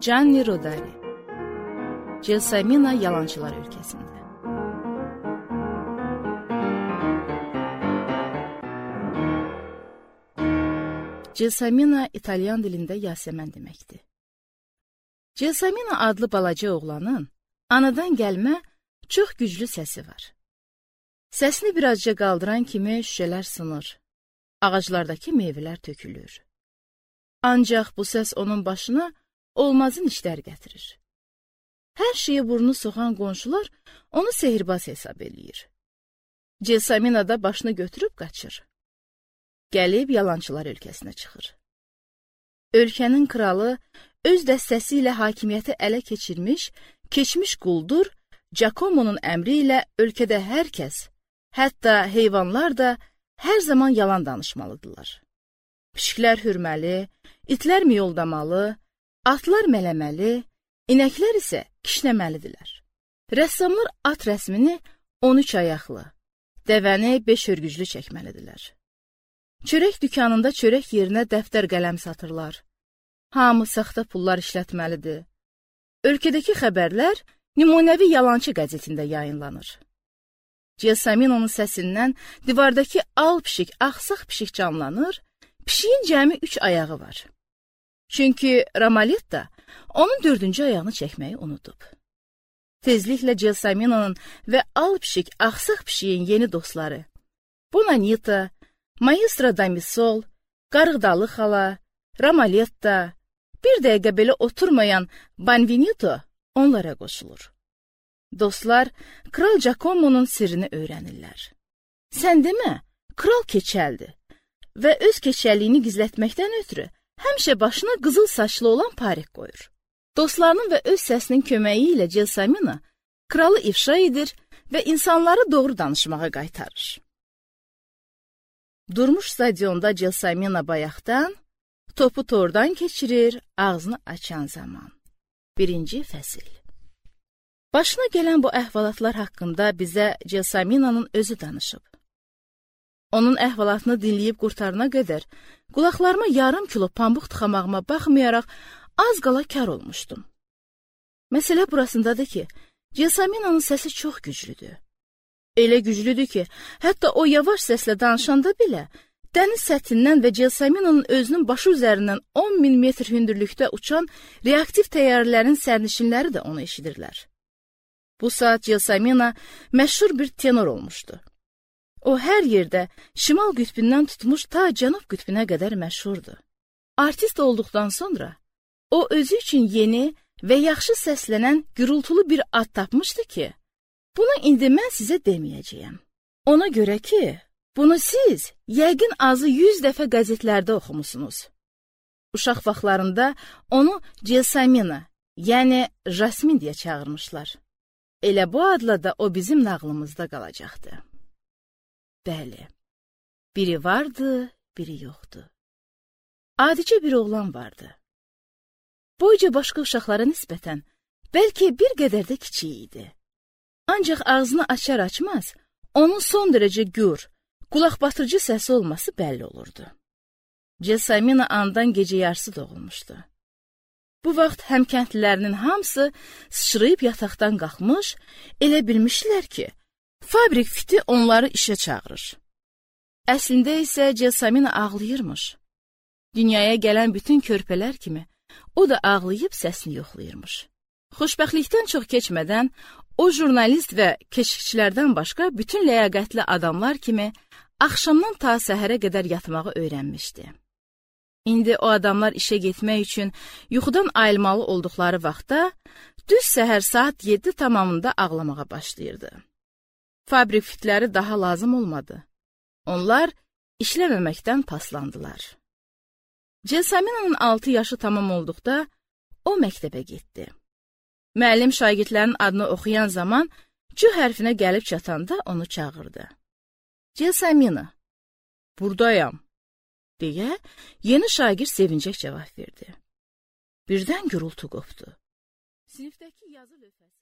Gianni Rodari. Gelsomina Yalançılar Ölkəsində. Gelsomina İtalyan dilində Yasəmən deməkdir. Gelsomina adlı balaca oğlanın anadan gəlmə çox güclü səsi var. Səsini birazca qaldıran kimi şüşələr sınır, ağaclardakı meyvələr tökülür. Ancaq bu səs onun başına olmazın işlər gətirir. Hər şeyə burnu soxan qonşular onu sehirbaz hesab eləyir. Gelsomina da başını götürüb qaçır. Gəlib yalançılar ölkəsinə çıxır. Ölkənin kralı öz dəstəsi ilə hakimiyyəti ələ keçirmiş, keçmiş quldur Giacomo'nun əmri ilə ölkədə hər kəs, hətta heyvanlar da hər zaman yalan danışmalıdırlar. Pişiklər hürməli, itlər miyoldamalı, atlar mələməli, inəklər isə kişnəməlidirlər. Rəssamlar at rəsmini 13 ayaqlı, dəvəni 5 hörgüclü çəkməlidirlər. Çörək dükanında çörək yerinə dəftər qələm satırlar. Hamı saxta pullar işlətməlidir. Ölkədəki xəbərlər nümunəvi yalançı qəzetində yayınlanır. Gelsomina'nın səsindən divardakı al pişik, axsaq pişik canlanır, pişiyin cəmi 3 ayağı var. Çünki Ramaletta onun 4-cü ayağını çəkməyi unudub. Tezliklə Gelsomina'nın və al pişik, axsaq pişiyin yeni dostları, Bonanita, Maestro Damisol, Qarğıdalı xala, Ramaletta, bir dəqiqə belə oturmayan Banvinito onlara qoşulur. Dostlar, Kral Giacomo'nun sirrini öyrənirlər. Sən demə, kral keçəldir və öz keçəlliyini gizlətməkdən ötürü həmişə başına qızıl saçlı olan parik qoyur. Dostlarının və öz səsinin köməyi ilə Gelsomina kralı ifşa edir və insanları doğru danışmağa qaytarır. Durmuş stadionda Gelsomina bayaqdan, topu tordan keçirir ağzını açan zaman. 1-ci fəsil. Başına gələn bu əhvalatlar haqqında bizə Gelsomina'nın özü danışıb. Onun əhvalatını dinləyib qurtarana qədər qulaqlarıma yarım kilo pambıq tıxamağıma baxmayaraq az qala kar olmuşdum. Məsələ burasındadır ki, Gelsomina'nın səsi çox güclüdür. Elə güclüdür ki, hətta o yavaş səslə danışanda belə dəniz səthindən və Gelsomina'nın özünün başı üzərindən 10.000 metr hündürlükdə uçan reaktiv təyyarələrin sərnişinləri də onu eşidirlər. Bu saat Gelsomina məşhur bir tenor olmuşdu. O hər yerdə şimal qütbündən tutmuş ta cənub qütbünə qədər məşhurdur. Artist olduqdan sonra o özü üçün yeni və yaxşı səslənən gürültülü bir ad tapmışdı ki, bunu indi mən sizə deməyəcəyəm. Ona görə ki, bunu siz yəqin azı 100 dəfə qəzetlərdə oxumusunuz. Uşaq vaxtlarında onu Gelsomina, yəni Jasmin deyə çağırmışlar. Elə bu adla da o bizim nağlımızda qalacaqdı. Bəli, biri vardı, biri yoxdu. Adicə bir oğlan vardı. Boyca başqa uşaqlara nisbətən bəlkə bir qədər də kiçik idi. Ancaq ağzını açar-açmaz, onun son dərəcə gür, qulaqbatırıcı səsi olması bəlli olurdu. Gelsomina andan gecə yarısı doğulmuşdu. Bu vaxt həmkəndlilərinin hamısı sıçrayıb yataqdan qalxmış, elə bilmişdilər ki, fabrik fiti onları işə çağırır. Əslində isə Gelsomina ağlayırmış. Dünyaya gələn bütün körpələr kimi o da ağlayıb səsini yoxlayırmış. Xoşbəxtlikdən çox keçmədən o jurnalist və keşikçilərdən başqa bütün ləyaqətli adamlar kimi axşamdan ta səhərə qədər yatmağı öyrənmişdi. İndi o adamlar işə getmək üçün yuxudan ayılmalı olduqları vaxtda düz səhər saat 7 tamamında ağlamağa başlayırdı. Fabrik fitləri daha lazım olmadı. Onlar işləməməkdən paslandılar. Gelsomina'nın 6 yaşı tamam olduqda o məktəbə getdi. Müəllim şagirdlərin adını oxuyan zaman C hərfinə gəlib çatanda onu çağırdı. Gelsomina, buradayam, deyə yeni şagird sevincək cavab verdi. Birdən gürültü qopdu. Sinifdəki yazı lövhəsi